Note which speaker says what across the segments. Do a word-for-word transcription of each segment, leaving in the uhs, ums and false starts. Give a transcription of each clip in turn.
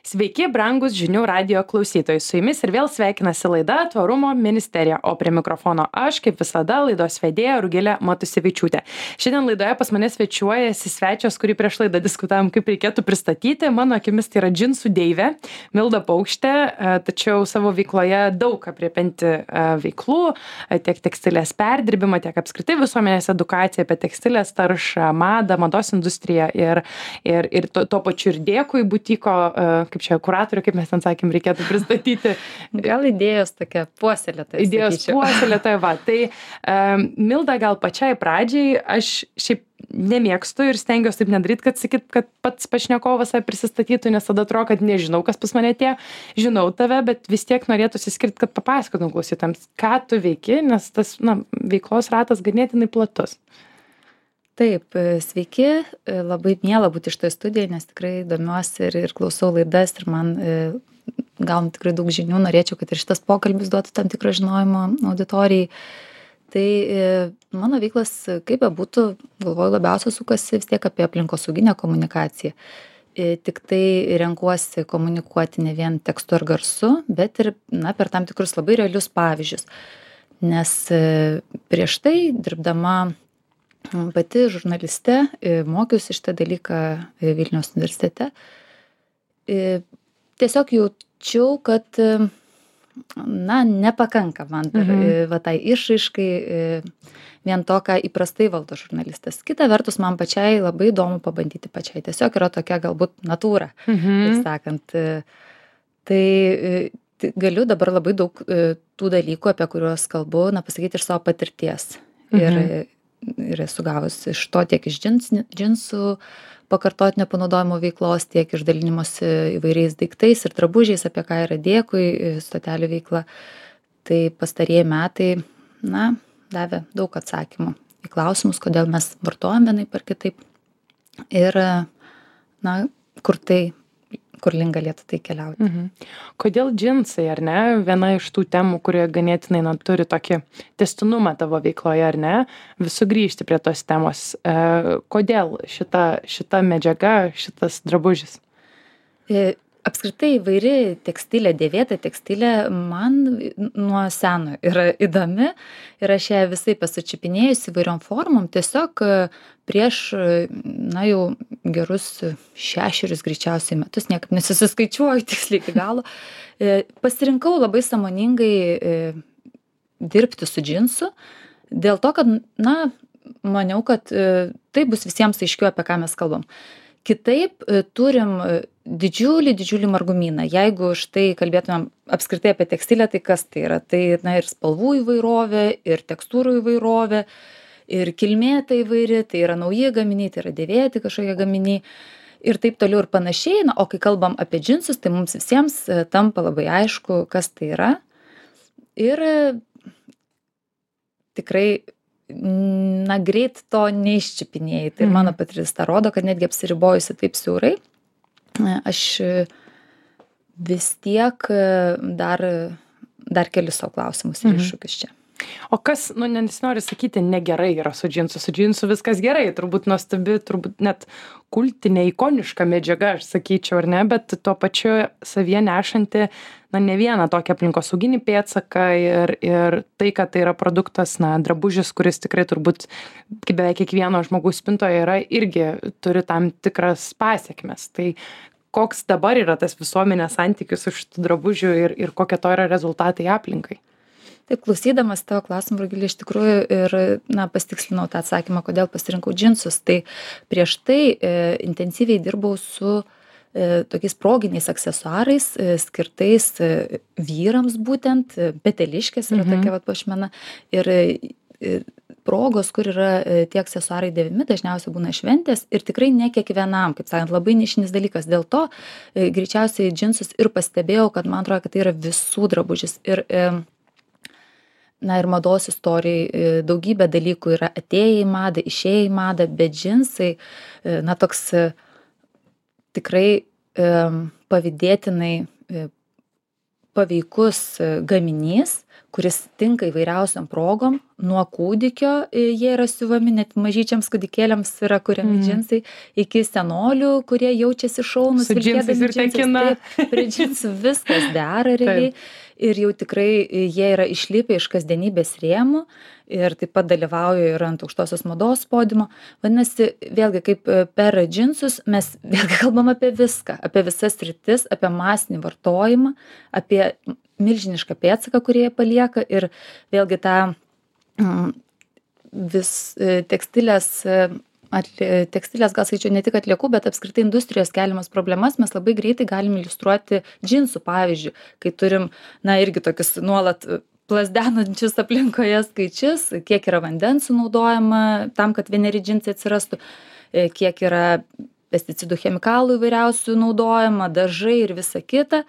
Speaker 1: Sveiki, brangus žinių radijo klausytojai. Su jumis ir vėl sveikinasi laida Tvarumo ministerija, o prie mikrofono aš, kaip visada, laidos vedėja Rugilė Matusevičiūtė. Šiandien laidoje pas mane svečiuojasi svečias, kurį prieš laidą diskutavom, kaip reikėtų pristatyti. Mano akimis tai yra džinsų deivė, Milda Paukštė, tačiau savo veikloje daug apriepianti veiklų, tiek tekstilės perdirbimą, tiek apskritai visuomenės edukaciją apie tekstilės taršą, madą, mados industriją ir, ir, ir to, to pačiu ir dėkui butiko, kaip čia kuratorių, kaip mes ten sakėm, reikėtų pristatyti.
Speaker 2: Gal idėjos tokia puoselėtoja.
Speaker 1: Idėjos puoselėtoja, va. Tai um, Milda, gal pačiai pradžiai, aš šiaip nemėgstu ir stengiuosi taip nedaryti, kad sakyt, kad pats pašnekovas prisistatytų, nes tada atrodo, kad nežinau, kas pas mane tie, žinau tave, bet vis tiek norėtųsi skirti, kad papasakotum klausytams, ką tu veiki, nes tas na, veiklos ratas ganėtinai platus.
Speaker 2: Taip, sveiki, labai miela būti šitoje studijoje, nes tikrai domiuosi ir, ir klausau laidas ir man e, gaunu tikrai daug žinių, norėčiau, kad ir šitas pokalbis duotų tam tikrą žinojimo auditorijai. Tai e, mano veiklas, kaip bebūtų, galvoju, labiausiai sukasi vis tiek apie aplinkosauginę komunikaciją. E, tik tai renkuosi komunikuoti ne vien tekstu ar garsu, bet ir na, per tam tikrus labai realius pavyzdžius. Nes e, prieš tai dirbdama pati žurnaliste, mokiausi šitą dalyką Vilniaus universitete. Tiesiog jaučiau, kad na, nepakanka man dar mhm. va, tai išraiškai vien to, ką įprastai valdo žurnalistas. Kita vertus, man pačiai labai įdomu pabandyti pačiai. Tiesiog yra tokia galbūt natūra, mhm. taip sakant. Tai galiu dabar labai daug tų dalykų, apie kuriuos kalbu, na, pasakyti iš savo patirties. Mhm. Ir ir esu gavusi iš to tiek iš džins, džinsų pakartotinio panaudojimo veiklos, tiek iš dalinimosi įvairiais daiktais ir drabužiais, apie ką yra dėkui stotelių veikla. Tai pastarieji metai, na, davė daug atsakymų į klausimus, kodėl mes vartojam vienaip ar kitaip ir, na, kur tai kur link galėtų tai keliauti.
Speaker 1: Mhm. Kodėl džinsai, ar ne? Viena iš tų temų, kurie ganėtinai na, turi tokį testinumą tavo veikloje, ar ne? Vis sugrįžti prie tos temos. E, kodėl šita, šita medžiaga, šitas drabužis?
Speaker 2: E, apskritai įvairi tekstilė, dėvėta tekstilė man nuo seno yra įdomi ir aš ją visai pasučiupinėjus įvairiom formom. Tiesiog prieš, na jau gerus šešerius greičiausiai metus, niekaip nesusiskaičiuoju tiksliai iki galo, pasirinkau labai sąmoningai dirbti su džinsu, dėl to, kad, na, maniau, kad tai bus visiems aiškiau, apie ką mes kalbam. Kitaip turim didžiulį, didžiulį margumyną. Jeigu štai kalbėtumėm apskritai apie tekstilę, tai kas tai yra? Tai na, ir spalvų įvairovė, ir tekstūrų įvairovė, ir kilmė tai įvairi, tai yra nauji gaminiai, tai yra dėvėti kažkokie gaminiai ir taip toliau ir panašiai. Na, o kai kalbam apie džinsus, tai mums visiems tampa labai aišku, kas tai yra. Ir tikrai na, greit to neiščiupinėjai. Tai mhm. mano patirtis tą rodo, kad netgi apsiribojusi taip siaurai, aš vis tiek dar, dar keliu savo klausimus ir mhm. iššūkius čia.
Speaker 1: O kas, nu, nesinori sakyti, negerai yra su džinsu, su džinsu viskas gerai, turbūt nuostabi, turbūt net kultinė, ikoniška medžiaga, aš sakyčiau, ar ne, bet tuo pačiu savyje nešanti, na, ne vieną tokį aplinkosauginį pėdsaką ir, ir tai, kad tai yra produktas, na, drabužis, kuris tikrai turbūt, kaip beveik kiekvieno žmogaus spintoje yra, irgi turi tam tikras pasiekmes. Tai koks dabar yra tas visuomenės santykis su šitų drabužių ir, ir kokie to yra rezultatai aplinkai?
Speaker 2: Taip, klausydamas tavo klausimą, Rugilė, iš tikrųjų ir na, pasitikslinau tą atsakymą, kodėl pasirinkau džinsus. Tai prieš tai e, intensyviai dirbau su e, tokiais proginiais aksesuarais, e, skirtais e, vyrams būtent, e, peteliškės yra mhm. tokia vat puošmena. Ir e, progos, kur yra e, tie aksesuarai dėvimi, dažniausiai būna šventės ir tikrai ne kiekvienam, kaip sakant, labai nišinis dalykas. Dėl to e, greičiausiai džinsus ir pastebėjau, kad man atrodo, kad tai yra visų drabužis. Ir e, na ir mados istorijai daugybė dalykų yra atėję į madą, išėję į madą, bet džinsai, na toks tikrai pavydėtinai paveikus gaminys, kuris tinka įvairiausiom progom. Nuo kūdikio jie yra siuvami, net mažyčiams kūdikėliams yra kuriami mm. džinsai, iki senolių, kurie jaučiasi šaunus.
Speaker 1: Su džinsais ir tekina.
Speaker 2: Taip, prie džinsų viskas dera realiai. Ir jau tikrai jie yra išlipę iš kasdienybės rėmų ir taip pat dalyvauja ir ant aukštosios mados podiumo. Vadinasi, vėlgi kaip per džinsus mes vėlgi kalbam apie viską, apie visas sritis, apie masinį vartojimą, apie milžinišką pėdsaką, kurį jie palieka ir vėlgi tą vis tekstilės Atli, tekstilės, gal skaičiau, ne tik atliekų, bet apskritai industrijos keliamas problemas mes labai greitai galim iliustruoti džinsų pavyzdžių, kai turim, na, irgi tokius nuolat plasdenančius aplinkoje skaičius, kiek yra vandens sunaudojama tam, kad vieneri džinsai atsirastų, kiek yra pesticidų, chemikalų įvairiausių naudojama, dažai ir visa kita.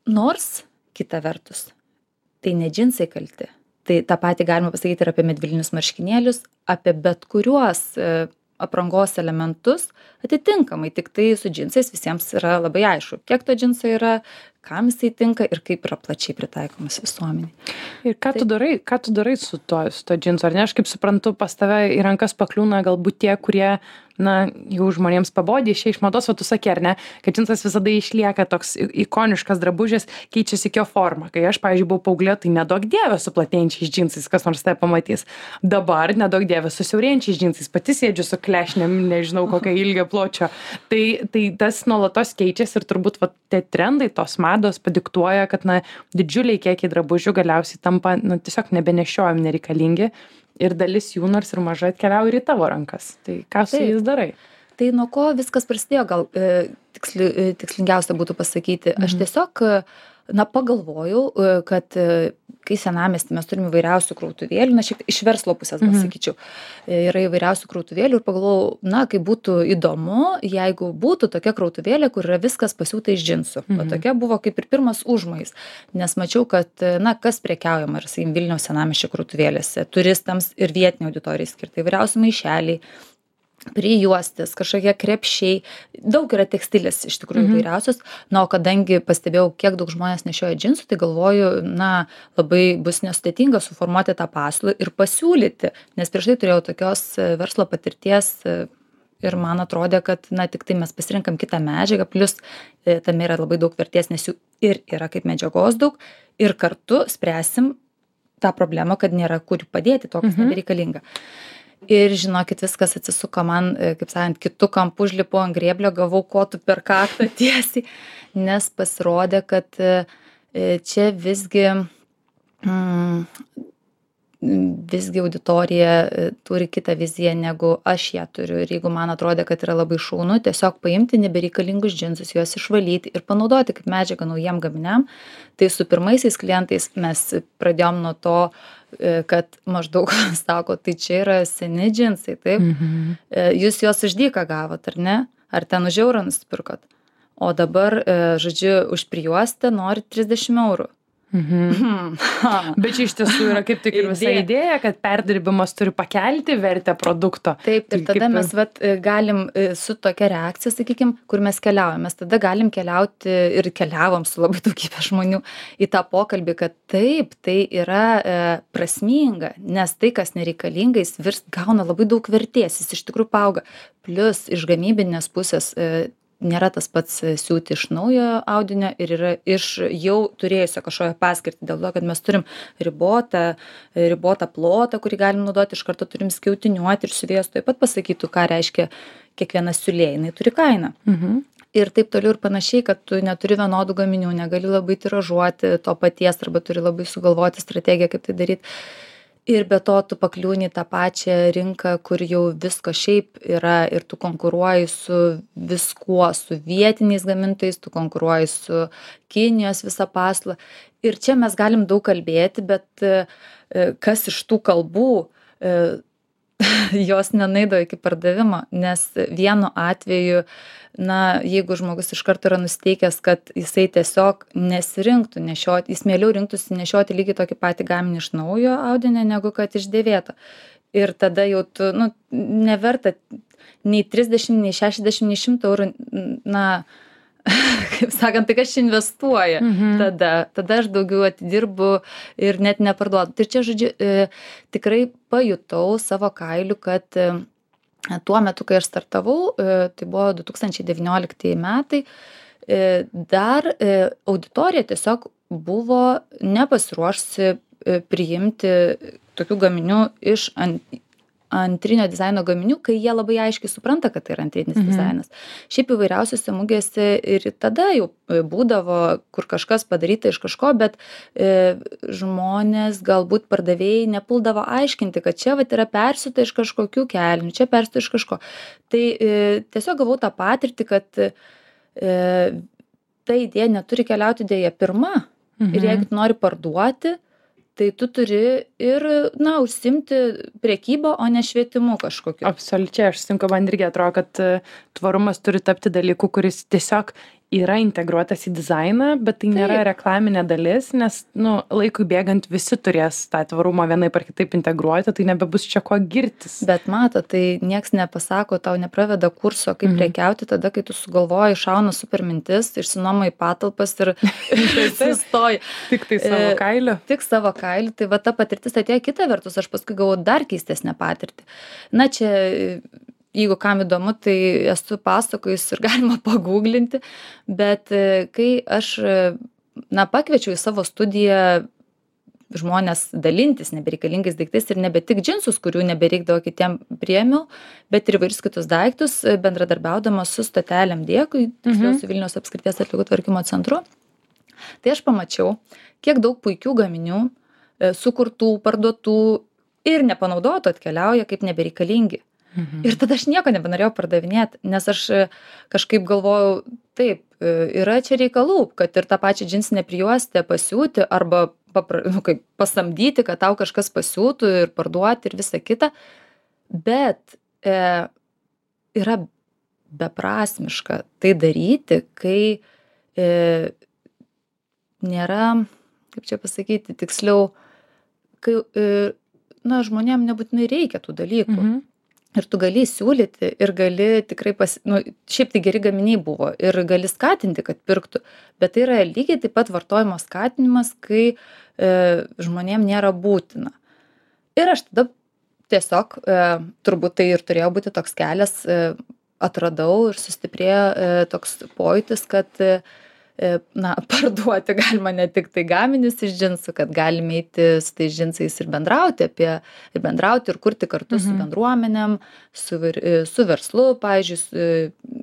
Speaker 2: Nors, kita vertus, tai ne džinsai kalti. Tai tą patį galima pasakyti ir apie medvilninius marškinėlius, apie bet kuriuos e, aprangos elementus, atitinkamai, tik tai su džinsais visiems yra labai aišku, kiek to džinso yra, kam jisai tinka ir kaip yra plačiai pritaikomas visuomeniai.
Speaker 1: Ir ką, tai, tu darai, ką tu darai su to, su to džinsu, ar ne? Aš kaip suprantu, pas tave į rankas pakliūna galbūt tie, kurie, na, jau žmonėms pabodė, išė iš mados, o tu sakė, ar ne, kad džinsas visada išlieka toks ikoniškas drabužis, keičiasi jo forma. Kai aš, pavyzdžiui, buvau paauglė, tai nedaug dievė su platėjančiais džinsais, kas nors tai pamatys. Dabar nedaug dievė su siaurėjančiais džinsais, pati sėdžiu su klešnėm, nežinau kokio ilgio pločio. Tai, tai tas nuolatos keičiasi ir turbūt va, tie trendai, tos mados padiktuoja, kad, na, didžiuliai kiekiai drabužių galiausiai tampa, na, tiesiog nebenešiojami, nereikalingi. Ir dalis jų nors ir mažai atkeliauja ir į tavo rankas. Tai ką su jais darai?
Speaker 2: Tai nuo ko viskas prasidėjo, gal e, tiksli, e, tikslingiausia būtų pasakyti. Mhm. Aš tiesiog, na, pagalvojau, e, kad e, kai senamiesty mes turime įvairiausių krautuvėlių, na, šiek tiek iš verslo pusės, gal sakyčiau, e, yra įvairiausių krautuvėlių ir pagalvojau, na, kaip būtų įdomu, jeigu būtų tokia krautuvėlė, kur yra viskas pasiūta iš džinsų. Mhm. O tokia buvo kaip ir pirmas užmojis, nes mačiau, kad, na, kas prekiaujama ir, sakykim, Vilniaus senamiesčio krautuvėlėse, turistams ir vietiniai auditorijai skirtai įvairiausi maišeliai, prijuostės, kažkokie krepšiai, daug yra tekstilės iš tikrųjų mm-hmm. įvairiausios, na, o kadangi pastebėjau, kiek daug žmonės nešioja džinsų, tai galvoju, na, labai bus nesudėtinga suformuoti tą pasiūlą ir pasiūlyti, nes prieš tai turėjau tokios verslo patirties ir man atrodė, kad, na, tik tai mes pasirinkam kitą medžiagą, plus tame yra labai daug vertės, nes jų ir yra kaip medžiagos daug, ir kartu spręsim tą problemą, kad nėra kur padėti to, kas mm-hmm. nebereikalinga. Ir žinokit, viskas atsisuko man, kaip sakant, kitų kampų užlipau ant grėblio, gavau kotų per kaktą tiesiai, nes pasirodė, kad čia visgi, mm, visgi auditorija turi kitą viziją, negu aš ją turiu. Ir jeigu man atrodė, kad yra labai šaunu, tiesiog paimti nebereikalingus džinsus, juos išvalyti ir panaudoti kaip medžiagą naujiem gaminiam, tai su pirmaisiais klientais mes pradėjom nuo to, kad maždaug sako, tai čia yra seni džinsai, taip? Mhm. Jūs juos už dyką gavot, ar ne? Ar ten už eurą nusipirkot? O dabar, žodžiu, už prijuostę nori trisdešimt eurų.
Speaker 1: Mhm. Bet čia iš tiesų yra kaip tik ir visa idėja, kad perdirbimas turi pakelti vertę produkto.
Speaker 2: Taip, ir tada kaip... mes vat, galim su tokia reakcija, sakykim, kur mes keliaujam. Mes tada galim keliauti ir keliavom su labai daugybė žmonių į tą pokalbį, kad taip, tai yra e, prasminga, nes tai, kas nereikalinga, jis virs, gauna labai daug vertės, jis iš tikrųjų paauga. Plus iš gamybinės pusės e, nėra tas pats siūti iš naujo audinio ir yra iš jau turėjusio kažkokią paskirtį, dėl to, kad mes turim ribotą, ribotą plotą, kurį galim naudoti, iš karto turim skiautiniuoti ir siuvėjas taip pat pasakytų, ką reiškia kiekviena siūlė, jinai turi kainą. Mhm. Ir taip toliau ir panašiai, kad tu neturi vienodų gaminių, negali labai tiražuoti to paties arba turi labai sugalvoti strategiją, kaip tai daryti. Ir be to tu pakliūni tą pačią rinką, kur jau visko šiaip yra ir tu konkuruoji su viskuo, su vietiniais gamintojais, tu konkuruoji su Kinijos visą paslą. Ir čia mes galim daug kalbėti, bet kas iš tų kalbų jos nenaido iki pardavimo, nes vienu atveju, na, jeigu žmogus iš karto yra nusteikęs, kad jisai tiesiog nesirinktų nešioti, jis mieliau rinktųsi nešioti lygiai tokį patį gaminį iš naujo audinio, negu kad iš dėvėto. Ir tada jau tu, nu, neverta nei trisdešimt, nei šešiasdešimt, nei šimtas eurų, na, kaip sakant, tai aš investuoju.
Speaker 1: Mhm.
Speaker 2: Tada, tada aš daugiau atidirbu ir net neparduodu. Tai čia, žodžiu, e, tikrai pajutau savo kailiu, kad e, tuo metu, kai aš startavau, e, tai buvo du tūkstančiai devynioliktieji metai, e, dar e, auditorija tiesiog buvo nepasiruošusi e, priimti tokių gaminių iš ant, antrinio dizaino gaminių, kai jie labai aiškiai supranta, kad tai yra antrinis mhm. dizainas. Šiaip įvairiausiose mugėse ir tada jau būdavo, kur kažkas padaryta iš kažko, bet e, žmonės, galbūt pardavėjai nepuldavo aiškinti, kad čia vat, yra persiūta iš kažkokių kelnių, čia persiūta iš kažko. Tai e, tiesiog gavau tą patirtį, kad e, ta idėja neturi keliauti dėja pirma. Mhm. Ir jeigu tu nori parduoti, tai tu turi ir, na, užsimti prekybą, o ne švietimu kažkokiu.
Speaker 1: Absoliučiai, aš sutinku, man irgi atrodo, kad tvarumas turi tapti dalyku, kuris tiesiog yra integruotas į dizainą, bet tai nėra Taip. reklaminė dalis, nes, nu, laikui bėgant visi turės tą tvarumą vienaip ar kitaip integruoti, tai nebebus čia ko girtis.
Speaker 2: Bet mato, tai nieks nepasako, tau nepraveda kurso, kaip mhm. prekiauti tada, kai tu sugalvoji, šauna super mintis, išsinuomai patalpas ir sustoji.
Speaker 1: Tik tai savo kailiu.
Speaker 2: Tik savo kailiu, tai va ta patirtis atėjo kita vertus, aš paskui gavau dar keistesnę patirtį. Na čia, jeigu kam įdomu, tai esu pasakojus ir galima paguglinti, bet kai aš, na, pakviečiau į savo studiją žmonės dalintis nebereikalingais daiktais ir nebe tik džinsus, kurių nebereikdavo kitiem priėmiau, bet ir įvairius kitus daiktus, bendradarbiaudama su stotelėm Dėkui, tiksliau su Vilniaus apskrities atliekų tvarkymo centru. Tai aš pamačiau, kiek daug puikių gaminių, sukurtų, parduotų ir nepanaudotų atkeliauja kaip nebereikalingi. Mhm. Ir tada aš nieko nebenorėjau pardavinėti, nes aš kažkaip galvojau, taip, yra čia reikalų, kad ir tą pačią džinsinę prijuostę pasiūti arba papra, nu, kaip, pasamdyti, kad tau kažkas pasiūtų ir parduoti ir visa kita, bet e, yra beprasmiška tai daryti, kai e, nėra, kaip čia pasakyti, tiksliau, kai e, na, žmonėm nebūtinai reikia tų dalykų. Mhm. Ir tu gali siūlyti ir gali tikrai, pas, nu, šiaip tai geri gaminiai buvo ir gali skatinti, kad pirktų, bet tai yra lygiai taip pat vartojimo skatinimas, kai e, žmonėm nėra būtina. Ir aš tada tiesiog, e, turbūt tai ir turėjo būti toks kelias, e, atradau ir sustiprėjo e, toks pojūtis, kad e, na, parduoti galima ne tik tai gaminius iš džinsų, kad galime eiti su tais džinsais ir bendrauti apie, ir bendrauti ir kurti kartu mhm. su bendruomenėm, su, su verslu, pavyzdžiui, su,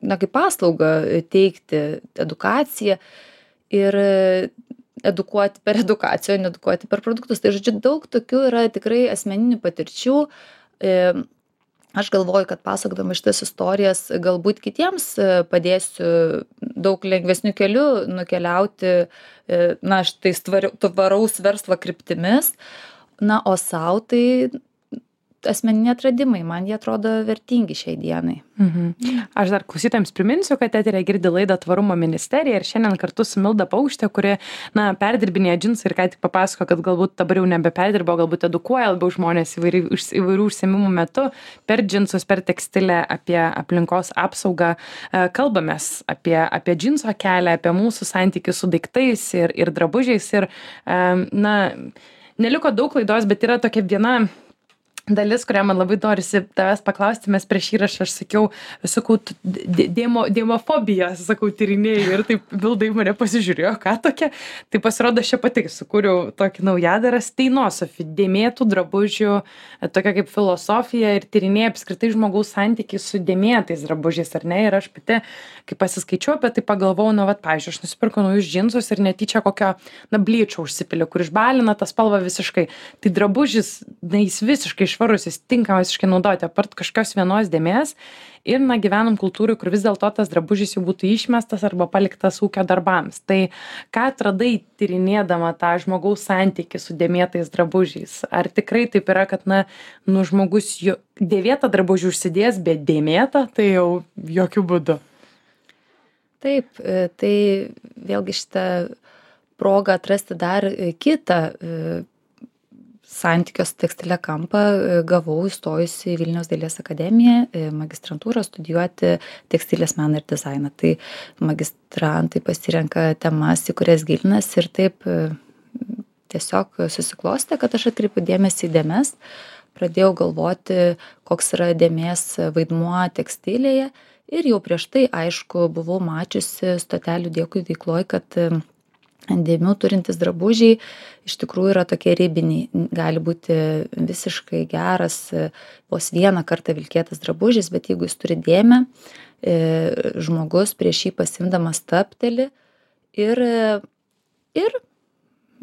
Speaker 2: na, kaip paslaugą teikti edukaciją ir edukuoti per edukaciją, o ne edukuoti per produktus. Tai, žodžiu, daug tokių yra tikrai asmeninių patirčių. Aš galvoju, kad pasakodama šitas istorijas galbūt kitiems padėsiu daug lengvesnių kelių nukeliauti, na, štai tvaraus verslo kryptimis, na, o sau tai asmeniniai atradimai, man jie atrodo vertingi šiai dienai.
Speaker 1: Mhm. Aš dar klausytojams priminsiu, kad eteryje girdi laidą Tvarumo ministerija ir šiandien kartu su Milda Paukšte, kuri, na, perdirbinėja džinsą ir ką tik papasako, kad galbūt dabar jau nebeperdirbo, galbūt edukuoja labiau žmonės įvairių, įvairių užsiėmimų metu per džinsus, per tekstilę, apie aplinkos apsaugą. Kalbamės apie, apie džinso kelią, apie mūsų santykių su daiktais ir, ir drabužiais. Ir, na, neliko daug laidos, bet yra tokia viena dalis, kurią man labai norisi tavęs paklausti, mes prieš įrašą aš sakiau, sakau, dėmo, dėmofobiją, sakau, tyrinėjai ir taip Milda į mane pasižiūrėjo, ką tokia. Tai pasirodo, aš čia pati sukūriau tokį naujadarą Steinosophy, dėmėtų drabužių, tokia kaip filosofija ir tyrinėja apskritai žmogaus santykiai su dėmėtais drabužiais, ar ne? Ir aš pati, kai pasiskaičiau apie tai, pagalvojau, nu, vat, pavyzdžiui, aš nusipirkau naujus džinsus ir netyčia kokio, na, blyčio užsipiliu, kur išbalina tą spalvą visiškai. Tai drabužis, na, jis visiškai švarus, jis tinkamas visiškai naudoti, apart kažkokios vienos dėmės. Ir, na, gyvenam kultūrai, kur vis dėlto tas drabužis jau būtų išmestas arba paliktas ūkio darbams. Tai ką atradai tyrinėdama tą žmogaus santykį su dėmėtais drabužiais? Ar tikrai taip yra, kad, na, nu, žmogus jo, dėvėtą drabužį užsidės, bet dėmėtą, tai jau jokių būdų?
Speaker 2: Taip, tai vėlgi šitą progą atrasti dar kitą santykio su tekstile kampą e, gavau įstojusi į Vilniaus dailės akademiją e, magistrantūrą studijuoti tekstilės meną ir dizainą. Tai magistrantai pasirenka temas, į kurias gilinasi ir taip e, tiesiog susiklostė, kad aš atkreipiu dėmesį į dėmes, pradėjau galvoti, koks yra dėmės vaidmuo tekstilėje ir jau prieš tai, aišku, buvau mačiusi Stotelių dėkui veikloj, kad e, dėmių turintys drabužiai iš tikrųjų yra tokie ribiniai. Gali būti visiškai geras vos vieną kartą vilkėtas drabužis, bet jeigu jis turi dėmę, žmogus prieš jį pasimdamas stabteli ir, ir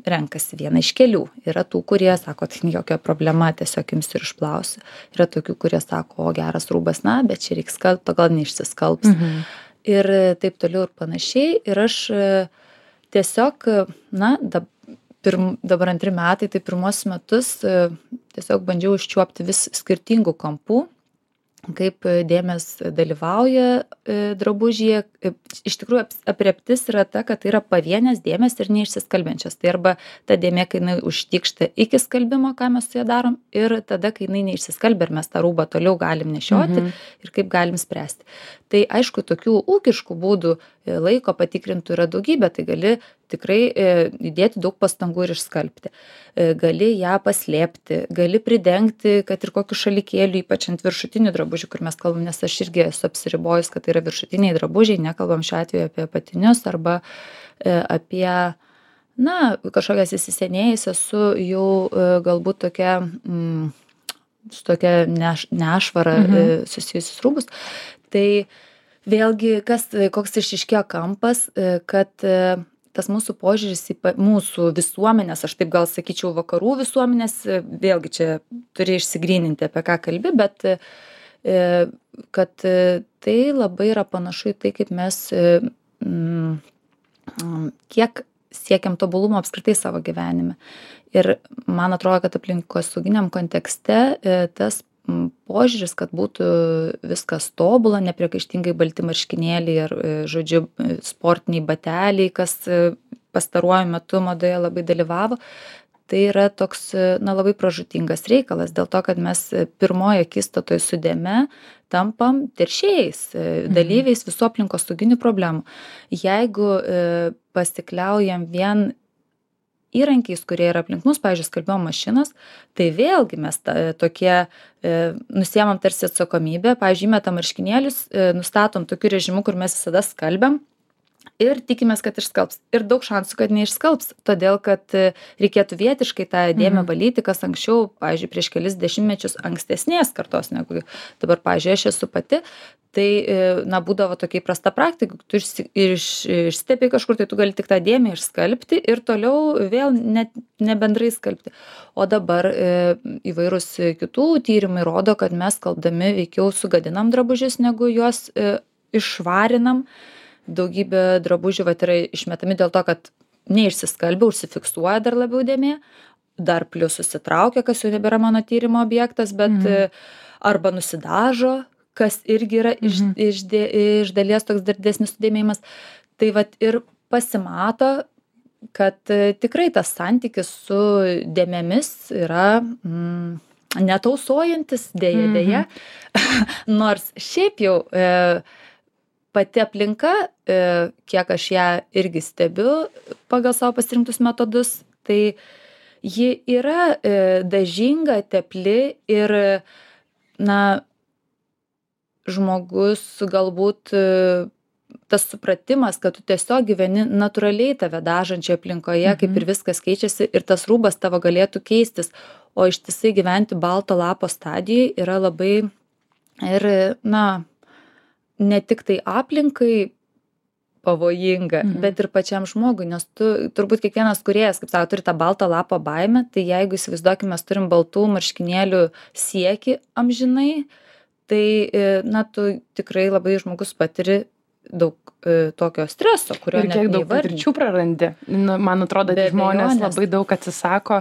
Speaker 2: renkasi vieną iš kelių. Yra tų, kurie sako, tai jokia problema, tiesiog jums ir išplausiu. Yra tokių, kurie sako, o geras rūbas, na, bet čia reiks skalbti, gal neišsiskalbs. Mhm. Ir taip toliau ir panašiai. Ir aš tiesiog, na, dab, pirm, dabar antri metai, tai pirmos metus tiesiog bandžiau užčiuopti vis skirtingų kampų, kaip dėmės dalyvauja drabužyje. Iš tikrųjų, aprėptis yra ta, kad tai yra pavienės dėmės ir neišsiskalbiančios. Tai arba ta dėmė, kai jinai užtikšta iki skalbimo, ką mes su ja darom, ir tada, kai jinai neišsiskalbia ir mes tą rūbą toliau galim nešioti mhm. ir kaip galim spręsti. Tai aišku, tokių ūkiškų būdų laiko patikrintų yra daugybė, tai gali tikrai įdėti daug pastangų ir išskalbti. Gali ją paslėpti, gali pridengti, kad ir kokiu šalikėliu, ypač ant viršutinių drabužių, kur mes kalbam, nes aš irgi esu apsiribojus, kad tai yra viršutiniai drabužiai, nekalbam šiuo atveju apie apatinius arba apie, na, kažkokias įsisenėjusias su jau galbūt tokia, mm, su tokia neš, nešvara mhm. susijusius rūbus. Tai vėlgi, kas, koks išryškėjo kampas, kad tas mūsų požiūris į mūsų visuomenės, aš taip gal sakyčiau vakarų visuomenės, vėlgi čia turi išsigryninti, apie ką kalbi, bet kad tai labai yra panašu į tai, kaip mes kiek siekiam tobulumo apskritai savo gyvenime. Ir man atrodo, kad aplinkosauginiam kontekste tas požiūris, kad būtų viskas tobula, nepriekaištingai balti marškinėliai ar, žodžiu, sportiniai bateliai, kas pastaruoju metu madoje labai dalyvavo, tai yra toks, na, labai pražūtingas reikalas, dėl to, kad mes pirmoje akistatoje su dėme tampam teršėjais, dalyviais visų aplinkosauginių problemų. Jeigu pasikliaujam vien įrankiais, kurie yra aplink mus, pavyzdžiui, skalbimo mašinos, tai vėlgi mes ta, tokie e, nusiemam tarsi atsakomybę, pavyzdžiui, metam marškinėlius, e, nustatom tokiu režimu, kur mes visada skalbiam ir tikimės, kad išskalbs. Ir daug šansų, kad neišskalbs, todėl, kad e, reikėtų vietiškai tą dėmę valyti, kas anksčiau, pavyzdžiui, prieš kelis dešimtmečius ankstesnės kartos negu dabar, pavyzdžiui, aš esu pati, tai, na, būdavo tokia įprasta praktika, tu iš, iš, išstepi kažkur, tai tu gali tik tą dėmę išskalbti ir toliau vėl net nebendrai skalbti. O dabar e, įvairūs kitų tyrimai rodo, kad mes skalbdami veikiau sugadinam drabužius, negu juos e, išvarinam. Daugybė drabužių vat, yra išmetami dėl to, kad neišsiskalbia, užsifiksuoja dar labiau dėmė, dar plius susitraukia, kas jau nebėra mano tyrimo objektas, bet mhm. arba nusidažo, kas irgi yra iš, mhm. iš, dė, iš dalies toks dar didesnis sudėmėjimas. Tai vat ir pasimato, kad tikrai tas santykis su dėmėmis yra mm, netausojantis, dėja, mhm. dėja. Nors šiaip jau e, pati aplinka, e, kiek aš ją irgi stebiu pagal savo pasirinktus metodus, tai ji yra e, dažinga, tepli ir, na, žmogus galbūt e, tas supratimas, kad tu tiesiog gyveni natūraliai tave dažančioje aplinkoje, mhm. kaip ir viskas keičiasi ir tas rūbas tavo galėtų keistis, o ištisai gyventi balto lapo stadijai yra labai ir, na, ne tik tai aplinkai pavojinga, mhm. bet ir pačiam žmogui, nes tu, turbūt kiekvienas kūrėjas, kaip sako, turi tą baltą lapo baimę, tai jeigu įsivaizduokime, mes turim baltų marškinėlių siekį amžinai, tai, na, tu tikrai labai žmogus patiri daug e, tokio streso, kurio
Speaker 1: Ir
Speaker 2: net
Speaker 1: kiek daug
Speaker 2: neįvardinti.
Speaker 1: patirčių prarandi. Nu, man atrodo,
Speaker 2: Be
Speaker 1: tie žmonės
Speaker 2: abejonės.
Speaker 1: labai daug atsisako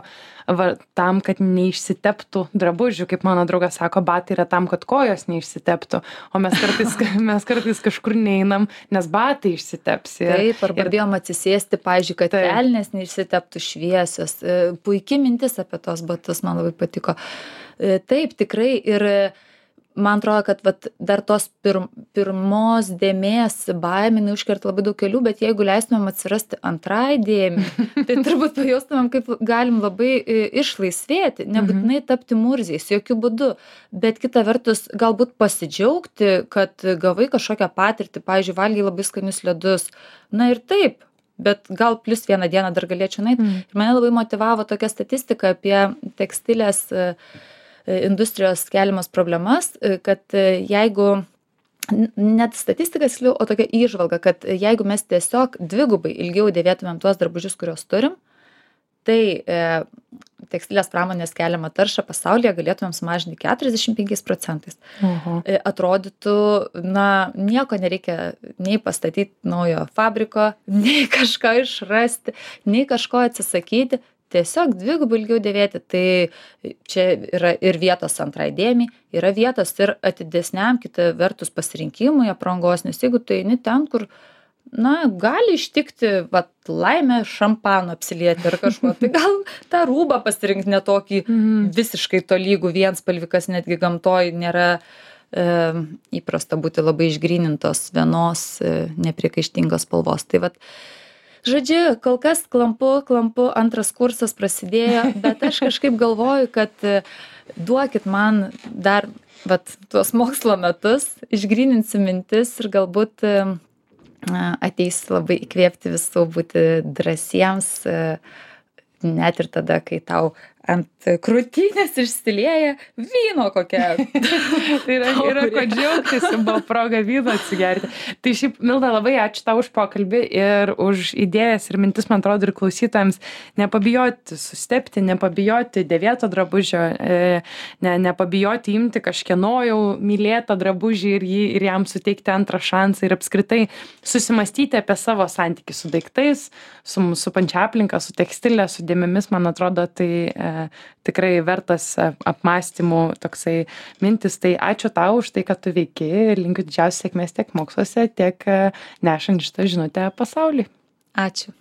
Speaker 1: va, tam, kad neišsiteptų drabužių. Kaip mano draugas sako, batai yra tam, kad kojos neišsiteptų. O mes kartais, mes kartais kažkur neinam, nes batai išsiteps. Ir,
Speaker 2: Taip, arba
Speaker 1: ir,
Speaker 2: bijom atsisėsti, pavyzdžiui, kad
Speaker 1: Taip.
Speaker 2: kelnės neišsiteptų šviesios. E, Puikiai mintis apie tos batus, man labai patiko. E, Taip, tikrai. Ir e, man atrodo, kad vat, dar tos pir, pirmos dėmės baiminai užkerta labai daug kelių, bet jeigu leistumėm atsirasti antrai dėmė, tai turbūt pajaustumėm, kaip galim labai e, išlaisvėti, nebūtinai tapti murziais, jokių būdų, bet kita vertus galbūt pasidžiaugti, kad gavai kažkokią patirtį, pavyzdžiui, valgiai labai skanius ledus. Na ir taip, bet gal plus vieną dieną dar galėčiau nueiti.
Speaker 1: Mm.
Speaker 2: Ir mane labai motyvavo tokia statistika apie tekstilės e, industrijos keliamas problemas, kad jeigu, net statistikas, o tokia įžvalga, kad jeigu mes tiesiog dvigubai ilgiau dėvėtumėm tuos drabužius, kuriuos turim, tai e, tekstilės pramonės keliamą taršą pasaulyje galėtumėm sumažinti keturiasdešimt penkiais procentais.
Speaker 1: Oho.
Speaker 2: E, atrodytų, na, nieko nereikia nei pastatyti naujo fabriko, nei kažką išrasti, nei kažko atsisakyti, tiesiog dvigubai ilgiau dėvėti. Tai čia yra ir vietos antrai dėmei, yra vietos ir atidesniam, kita vertus, pasirinkimui aprangos, nes jeigu tu eini ten, kur, na, gali ištikti, vat, laimę šampanu apsilieti ar kažko, tai gal tą rūbą pasirinkti netokį
Speaker 1: Mhm.
Speaker 2: visiškai tolygų vienspalvikas, netgi gamtoj nėra e, įprasta būti labai išgrynintos vienos e, nepriekaištingos spalvos. Tai vat, žodžiu, kol kas klampu, klampu, antras kursas prasidėjo, bet aš kažkaip galvoju, kad e, duokit man dar vat, tuos mokslo metus, išgryninsiu mintis ir galbūt e, ateis labai įkvėpti visų būti drąsiems, e, net ir tada, kai tau ant krūtinės išsilieja vyno kokia.
Speaker 1: Tai yra, yra ko džiaugtis, buvo proga vyno atsigerti. Tai šiaip, Milda, labai ačiū tau už pokalbį ir už idėjas ir mintis, man atrodo, ir klausytojams nepabijoti sustepti, nepabijoti dėvėto drabužio, e, ne, nepabijoti imti kažkieno jau mylėtą drabužį ir, jį, ir jam suteikti antrą šansą ir apskritai susimastyti apie savo santykį su daiktais, su mūsų pančia aplinka, su tekstilė, su dėmėmis, man atrodo, tai e, tikrai vertas apmąstymų toksai mintis. Tai ačiū tau už tai, kad tu veiki ir linkiu didžiausios sėkmės tiek moksluose, tiek nešant šitą žinutę pasauliui.
Speaker 2: Ačiū.